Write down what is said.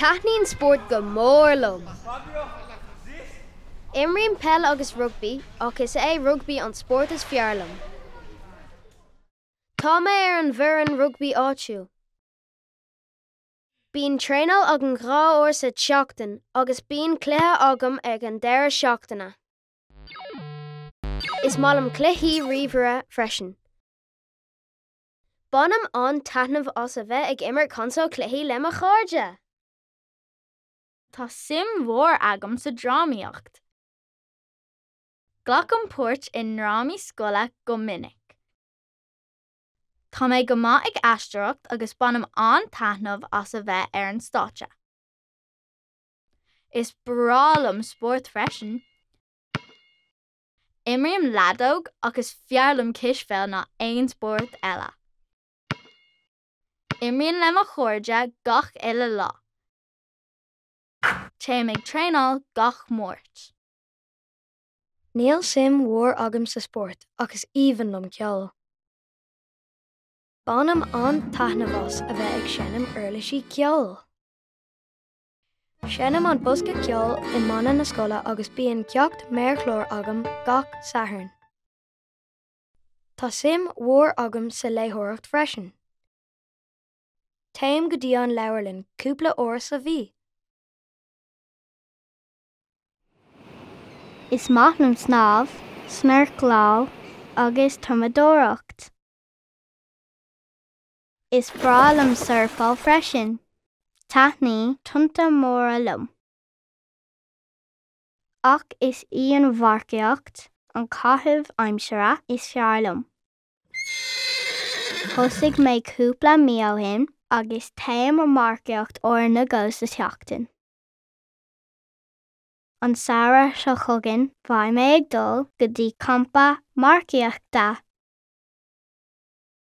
Taitníonn spórt go mór liom. Imrím peil agus rugbaí ach is é rugbaí an spórt is fearr liom. Tá mé ar an bhfoireann rugbaí áitiúil. Bíonn traenáil againn 2 uair sa tseachtain agus bíonn cluiche agam ag an deireadh seachtaine. Is maith liom cluichí ríomhaire freisin. Bainim an-taitneamh as a bheith ag imirt consól cluichí le mo chairde! Tá suim mhór agam sa drámaíocht. Glacaim páirt i ndrámaí scoile go minic. Tá mé go maith ag aisteoireacht agus bainim an-taitneamh as a bheith ar an stáitse. Is breá liom spórt freisin. Imrím leadóg ach is fearr liom cispheil ná aon spórt eile. Imrím le mo chairde gach uile lá. Téim ag traenáil gach Máirt. Níl suim mhór agam sa spórt ach is aoibhinn liom ceol. Bainim an-taitneamh as a bheith ag seinm uirlisí ceoil. Seinnim an bosca ceoil i mbanna na scoile agus bíonn ceacht méarchláir agam gach Satharn. Tá suim mhór agam sa léitheoireacht freisin. Téim go dtí an leabharlann cúpla uair sa mhí. Is maith liom snámh, snorcláil agus tumadóireacht. Is breá liom surfáil freisin. Taitníonn tonnta móra liom. Ach is í an mharcaíocht an caitheamh aimsire is fearr liom. Thosaigh mé cúpla mí ó shin agus téim ag marcaíocht uair nó dhó sa tseachtain. An samhradh seo chugainn beidh mé ag dul go dtí campa marcaíochta.